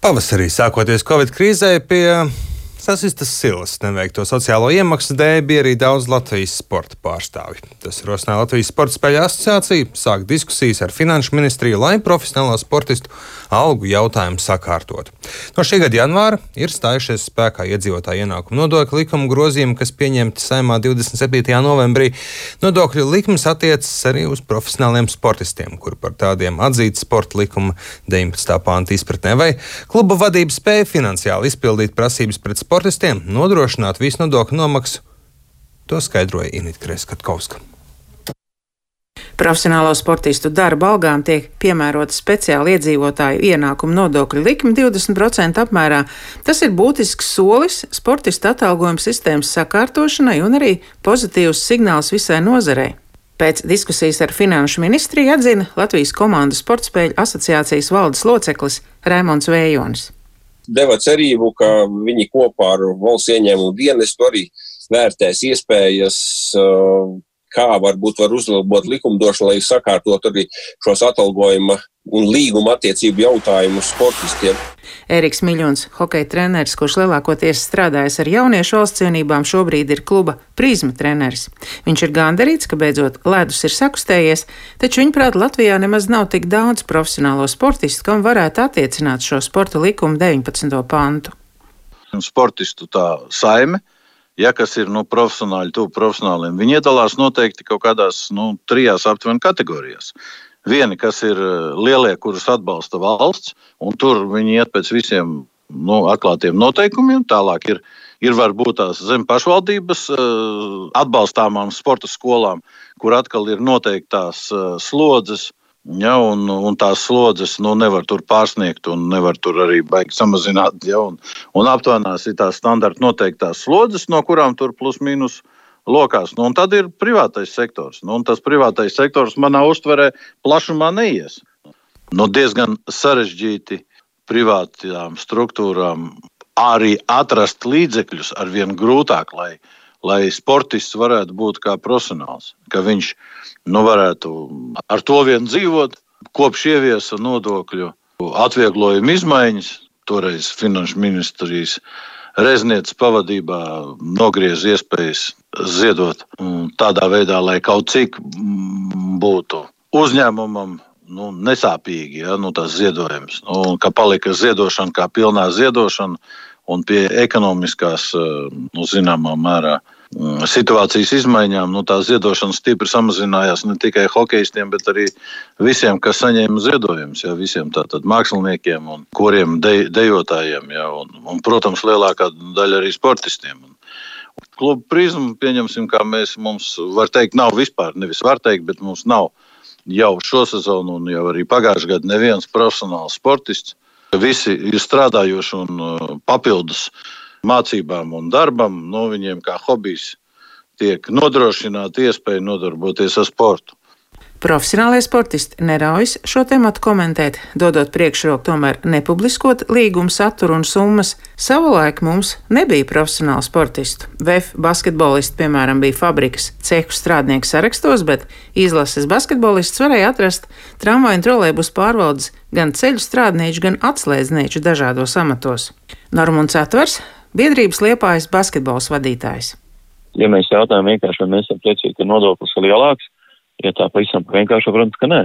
Pavasarī, sākoties Covid krīzē, pie sasistas silas neveikto sociālo iemaksu dēļ bija arī daudz Latvijas sporta pārstāvju. Tas rosināja Latvijas Sporta spēļu asociāciju sākt diskusijas ar Finanšu ministriju, lai profesionālo sportistu algu jautājumu sakārtotu. No šī gada janvāra ir stājušies spēkā iedzīvotāju ienākumu nodokļu likuma grozījumi, kas pieņemti Saeimā 27. novembrī. Nodokļu likums attiecas arī uz profesionāliem sportistiem, kuri par tādiem atzīti sporta likuma 19. panta izpratnē, vai kluba vadība spēja finansiāli izpildīt prasības pret sportistiem, nodrošināt visu nodokļu nomaksu. To skaidroja Inita Kreskatkovska. Profesionālo sportistu darba algām tiek piemērota speciāla iedzīvotāju ienākumu nodokļu likme 20% apmērā. Tas ir būtisks solis sportistu atalgojuma sistēmas sakārtošanai un arī pozitīvs signāls visai nozarei. Pēc diskusijas ar Finanšu ministriju atzina Latvijas komandu sportspēļu asociācijas valdes loceklis Raimonds Vējonis. Deva cerību, ka viņi kopā ar valsts ieņēmumu dienestu arī vērtēs iespējas, kā varbūt var uzlabot likumdošanu, lai sakārtot arī šos atalgojuma un līguma attiecību jautājumus sportistiem. Ēriks Miļons, hokeja treneris, kurš lielākoties strādājas ar jauniešu valsts cienībām, šobrīd ir kluba Prizma treneris. Viņš ir gandarīts, ka beidzot ledus ir sakustējies, taču viņuprāt Latvijā nemaz nav tik daudz profesionālo sportistu, kam varētu attiecināt šo sporta likumu 19. pantu. Sportistu tā saime, kas ir profesionāļi, tuvu profesionāliem, viņi iedalās noteikti kaut kādās trijās aptuveni kategorijās. Vieni, kas ir lielie, kurus atbalsta valsts, un tur viņi iet pēc visiem atklātiem noteikumiem. Tālāk ir varbūt tās zem pašvaldības atbalstāmām sporta skolām, kur atkal ir noteiktās slodzes, un tās slodzes nevar tur pārsniegt un nevar tur arī baigi samazināt. Un aptuvenās ir tās standarta noteiktās slodzes, no kurām tur plus mīnus lokās. Un tad ir privātais sektors. Un tas privātais sektors manā uztverē plašumā neies. Diezgan sarežģīti privātām struktūrām arī atrast līdzekļus arvien grūtāk, lai sportists varētu būt kā profesionāls, ka viņš varētu ar to vien dzīvot, kopš ieviesa nodokļu atvieglojumu izmaiņas, toreiz Finanšu ministrijas Reznieces pavadībā nogriez iespējas ziedot tādā veidā, lai kaut cik būtu uzņēmumam nesāpīgi, tas ziedojums, ka palika ziedošana kā pilnā ziedošana un pie ekonomiskās, zināmā mērā, situācijas izmaiņām, tā ziedošana stipri samazinājās ne tikai hokejistiem, bet arī visiem, kas saņēma ziedojumus, visiem tātad māksliniekiem un koriem, dejotājiem, un, protams, lielākā daļa arī sportistiem. Kluba Prizma, pieņemsim, kā mums var teikt, nav vispār, nevis var teikt, bet mums nav jau šo sezonu un jau arī pagājušajā gadā neviens profesionāls sportists. Visi ir strādājoši un papildus mācībām un darbam, viņiem kā hobijs tiek nodrošināta iespēja nodarboties ar sportu. Profesionālie sportisti neraujas šo tematu komentēt, dodot priekšroku tomēr nepubliskot līguma saturu un summas. Savulaik mums nebija profesionālu sportistu. VF basketbolisti, piemēram, bija fabrikas cehu strādnieku sarakstos, bet izlases basketbolists varēja atrast tramvaju un trolejbusu pārvaldes gan ceļu strādnieču, gan atslēdznieču dažādos amatos. Normunds Atvers, biedrības Liepājas basketbols vadītājs. Ja mēs jautājam vienkārši, vai mēs esam priecīgi, ka nodoklis ir lielāks, ja tā pavisam vienkārši, protams, ka nē,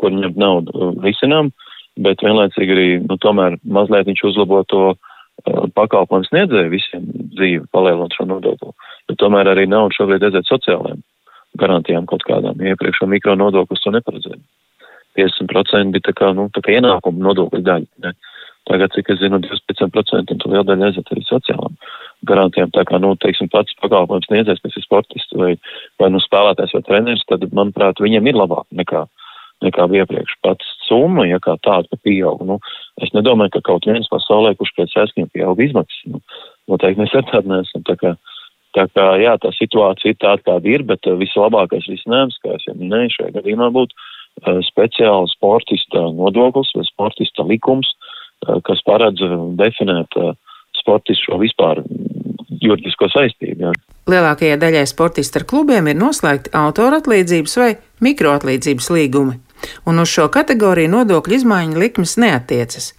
kur ņemt naudu risinām, bet vienlaicīgi arī, tomēr mazliet viņš uzlabo to pakalpojumu sniedzēju visiem dzīvi, palielinot šo nodokli. Bet tomēr arī naudu šobrīd aiziet sociālajām garantijām kaut kādām. Iepriekš mikro nodoklis to neparedzēja. 50% bija tā kā ienākuma nodokļu daļa. Ne? Tagad, cik es zinu, 25% un to liela daļa aiziet arī sociālām garantijām. Tā kā, pats pakalpojums sniedzējs, kas ir sportists vai spēlētājs vai treneris, tad, manuprāt, viņiem ir labāk nekā iepriekš. Pats summa, kā tāda pieaug. Es nedomāju, ka kaut viens pasaulē, kurš pēc aizskiem pieaug izmaksas. Noteikti mēs ar tādu neesam. Tā kā, tā situācija ir tāda, kāda ir, bet vislabākais risinājums, kā es jau minēju, šajā gadījumā būtu speciāli sportista nodoklis vai sportista likums, kas paredz definēt sportistu šo vispār juridisko saistību. Jā. Lielākajai daļai sportistu ar klubiem ir noslēgti autoratlīdzības vai mikroatlīdzības līgumi, un uz šo kategoriju nodokļu izmaiņu likmes neattiecas.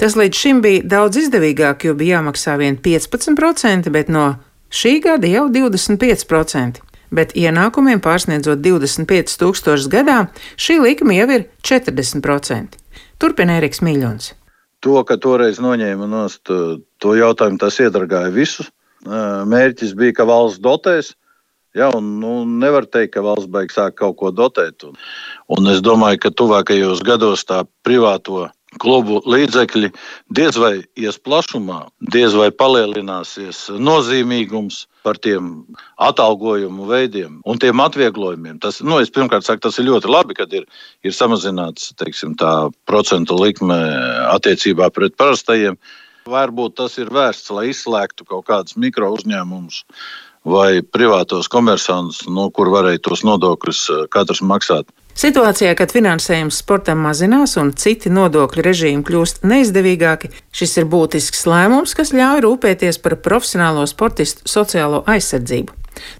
Tas līdz šim bija daudz izdevīgāk, jo bija jāmaksā vien 15%, bet no šī gada jau 25%. Bet ienākumiem pārsniedzot 25 000 gadā, šī likme jau ir 40%. Turpina Eriks Miļons. To, ka toreiz noņēma nost to jautājumu, tas iedragāja visus. Mērķis bija, ka valsts dotēs. Ja, nevar teikt, ka valsts beigas sāk kaut ko dotēt. Un es domāju, ka tuvākajos gados tā privāto klubu līdzekļi diez vai ies plašumā, diez vai palielināsies nozīmīgums par tiem atalgojumu veidiem un tiem atvieglojumiem. Es pirmkārt saku, tas ir ļoti labi, kad ir samazināts, teiksim, tā procentu likme attiecībā pret parastajiem. Varbūt tas ir vērsts, lai izslēgtu kaut kādus mikro uzņēmumus vai privātos komersantus, kur varēja tos nodokļus katrs maksāt. Situācijā, kad finansējums sportam mazinās un citi nodokļu režīmi kļūst neizdevīgāki, šis ir būtisks lēmums, kas ļauj rūpēties par profesionālo sportistu sociālo aizsardzību.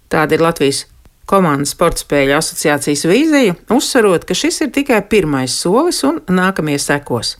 Tāda ir Latvijas komandas sportspēļu asociācijas vīzija, uzsverot, ka šis ir tikai pirmais solis un nākamie sekos.